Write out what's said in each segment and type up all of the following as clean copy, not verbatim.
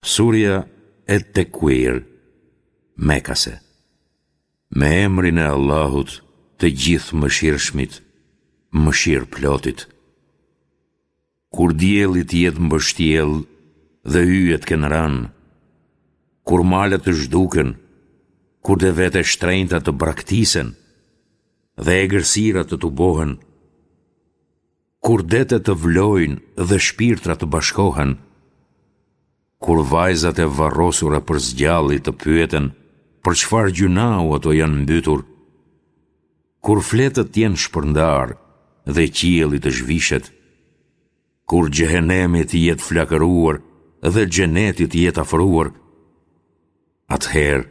Surja Et-Tekuir, Mekase. Me emrin e Allahut, të Gjithëmëshirshmit, Mëshirëplotit. Kur dielli të jetë mbështjellë dhe yjet të kenë rënë, kur malet të zhduken, kur devetë e shtrenjta të braktisen dhe egërsirat të tubohen, Kur detet të vlojnë dhe shpirtrat të bashkohen, kur vajzat e varrosura për së gjalli të pyeten për çfarë gjynahu ato janë mbytur, kur fletët të jenë shpërndarë dhe qielli të zhvishet, kur xhehenemi të jetë flakëruar dhe xheneti të jetë afruar, atëherë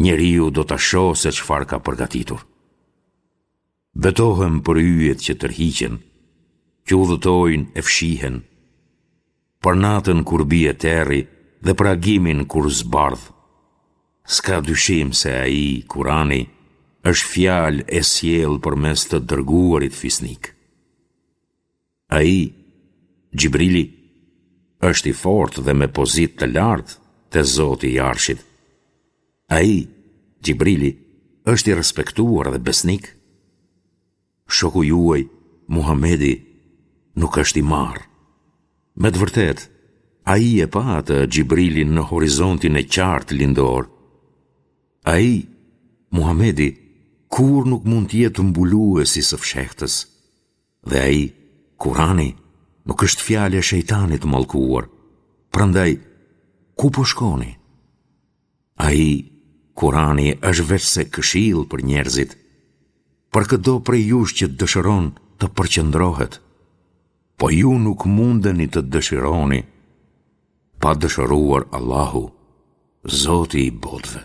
njeriu do ta shohë se çfarë ka përgatitur. Betohem për yjet që tërhiqen, që udhëtojnë e fshihen, për natën kur bie terri dhe për agimin kur zbardh. S'ka dyshim se ai, Kurani, është fjalë e sjellë përmes të dërguarit fisnik. Ai, Xhibrili, është i fortë dhe me pozitë të lartë te Zoti i Arshit. Ai, Xhibrili, është i respektuar dhe besnik. Shoku juaj, Muhamedi, nuk është i marrë. Me të vërtetë, ai e pa atë Xhibrilin në horizontin e qartë lindor. Ai, Muhamedi, kurrë nuk mund të jetë mbulues i së fshehtës. Dhe ai, Kurani, nuk është fjalë e shejtanit të mallkuar. Prandaj, ku po shkoni? Ai, Kurani, është veçse këshillë për njerëzit, për këdo prej jush që dëshiron të përqendrohet. Po ju nuk mundeni të dëshironi, pa dëshiruar Allahu, Zoti i botëve.